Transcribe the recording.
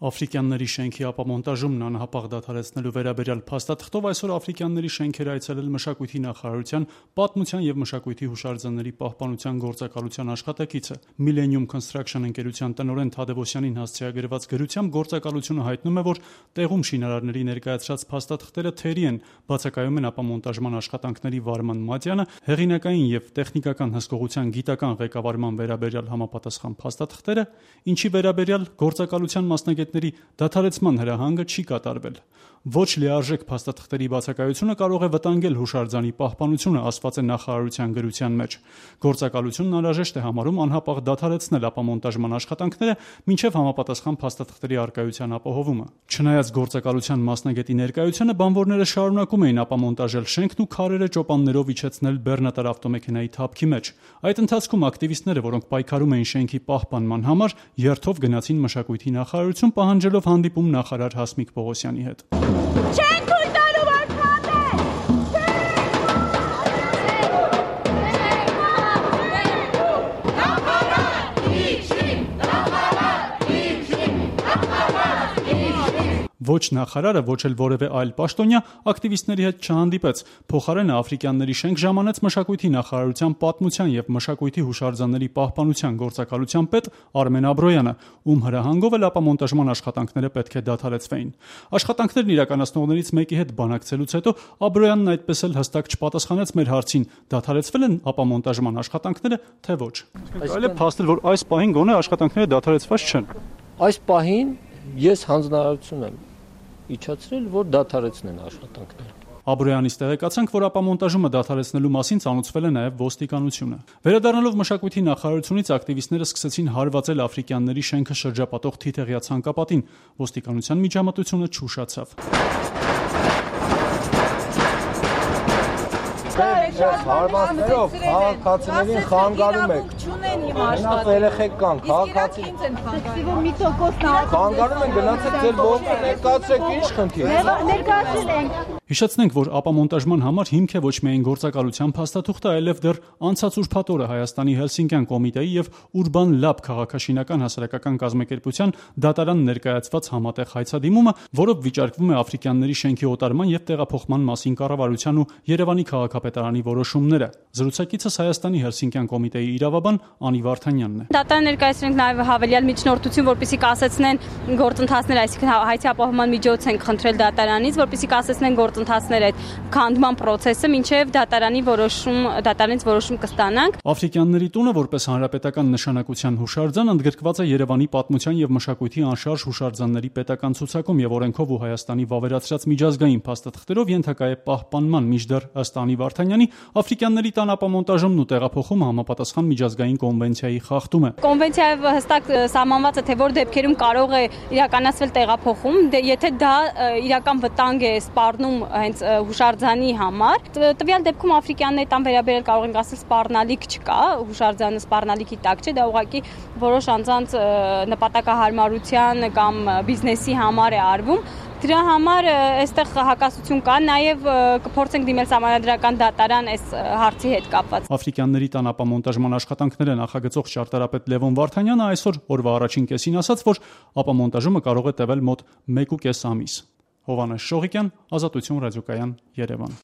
Աֆրիկյանների շենքի ապամոնտաժումն անհապաղ դադարեցնելու վերաբերյալ փաստաթղթով այսօր Աֆրիկյանների շենքեր այցելել մշակույթի նախարարության պատմության և մշակույթի հուշարձանների պահպանության գործակալության աշխատակիցը։ Millennium Construction ընկերության տնօրեն Թադևոսյանին հասցեագրված գրությամբ գործակալությունը հայտնում է, որ տեղում շինարարների ներկայացրած փաստաթղթերը թերի են, բացակայում են ապամոնտաժման աշխատանքների վարման մատյանը, հեղինակային և տեխնիկական հսկողության գիտական ղեկավարման վերաբերյալ համապատասխան փաստաթղթերը, ինչի վերաբերյալ գործակալության մասնագետների դադարեցման հրահանգը չի կատարվել։ Ոչ լիարժեք փաստաթղթերի բացակայությունը կարող է վտանգել հուշարձանի պահպանությունը, ասված է նախարարության գրության մեջ։ Գործակալությունն անհրաժեշտ է համարում անհապաղ դադարեցնել ապամոնտաժման աշխատանքները, մինչև համապատասխան փաստաթղթերի առկայության ապահովումը։ Չնայած գործակալության մասնագետի ներկայությանը, բանվորները շարունակում էին ապամոնտաժել շենքն ու քարերը ճոպաններով իջեցնել բեռնատար ավտոմեքենայի թափքի մեջ։ Այդ ընթացքում ակտիվիստները, որոնք պայքարում էին շենքի պահպանման համար, երթով գնացին մշակույթի նախարարություն, պահանջելով հանդիպում նախարար Հասմիկ Պողոսյանի հետ։ Չեն թույլ տալու վարքատը։ Ոչ նախարարը, ոչ էլ որևէ այլ պաշտոնյա ակտիվիստների հետ չհանդիպեց։ Փոխարենը Աֆրիկյանների շենք ժամանեց մշակույթի նախարարության պատմության և մշակույթի հուշարձանների պահպանության գործակալության պետ Արմեն Աբրոյանը, ում հրահանգով էլ ապամոնտաժման աշխատանքները պետք է դադարեցվեին։ Աշխատանքներն իրականացնողներից մեկի հետ բանակցելուց հետո Աբրոյանն այդպես էլ հստակ չպատասխանեց մեր հարցին՝ դադարեցվել են ապամոնտաժման աշխատանքները, թե ոչ։ Այլ է փաստել, որ այս պահին գոնե աշխատանքները դադարեցված չեն։ Այս պահին ես հանձնարարություն եմ իջացրել, որ դադարեցնեն աշխատանքները։ Աբրոյանից տեղեկացանք, որ ապամոնտաժումը դադարեցնելու մասին ծանոթացվել է նաև ոստիկանությունը։ Վերադառնալով մշակույթի նախարարությունից, ակտիվիստները սկսեցին հարվածել Աֆրիկյանների շենքը շրջապատող թիթեղյա ցանկապատին։ Ոստիկանության միջամտությունը չուշացավ։ Հարվածներով քաղաքացիներին խանգարում եք։ Մենակ երեխեք կան, քաղաքացիներին խանգարում են, գնացեք ձեր ողջը ներկայացրեք, ինչ խնդիր։ Ներկայացրել ենք։ Հիշեցնենք, որ ապամոնտաժման համար հիմք է ոչ միայն գործակալության փաստաթուղթը, այլև դեռ անցած ուրբաթ օրը Հայաստանի Հելսինկյան կոմիտեի եւ Urban Lab քաղաքաշինական հասարակական կազմակերպության դատարան ներկայացված համատեղ հայցադիմումը, որով վիճարկվում է Աֆրիկյանների շենքի օտարման եւ տեղափոխման մասին կառավարության ու Երևանի քաղաքապետարանի որոշումները։ Զրուցակիցս Հայաստանի Հելսինկյան կոմիտեի իրավաբան Անի Վարդանյանն է։ Դատարան ներկայացրենք նաեւ հավելյալ միջնորդություն, որպեսզի կասեցնեն գործընթացները, այսինքն հայցի ապահովման միջոց ենք խնդրել դատարանից, որպեսզի կասեցնեն գործընթացները այդ քանդման process-ը, մինչև դատարանից որոշում կստանանք։ Աֆրիկյանների տունը որպես հանրապետական նշանակության հուշարձան ընդգրկված է Երևանի պատմության եւ մշակույթի անշարժ հուշարձանների պետական ցուցակում եւ օրենքով ու Հայաստանի վավերացրած միջազգային փաստաթղթերով ենթակա է պահպանման, մինչդեռ ըստ Անի Վարդանյանի Աֆրիկյանների տան ապամոնտաժումն ու տեղափոխումը համապատասխան միջազգային կոնվենցիայի խախտում է։ Կոնվենցիայով հստակ սահմանված է, թե որ դեպքերում կարող է իրականացվել տեղափոխում, եթե դա իրական վտանգ է սպառնում հենց հուշարձանի համար։ Տվյալ դեպքում Աֆրիկյանների տան վերաբերել կարող ենք ասել սպառնալիք չկա, հուշարձանը սպառնալիքի տակ չէ, դա ուղղակի որոշ անձանց նպատակահարմարության կամ բիզնեսի համար է արվում։ Դրա համար այստեղ հակասություն կա, նաև կփորձենք դիմել սահմանադրական դատարան այս հարցի հետ կապված։ Աֆրիկյանների տան ապամոնտաժման աշխատանքները նախագծող ճարտարապետ Լևոն Վարդանյանը այսօր օրվա առաջին կեսին ասաց, որ ապամոնտաժումը կարող է տևել մոտ 1.5 ամիս։ Հովհաննես Շողիկյան, Ազատություն ռադիոկայան, Երևան։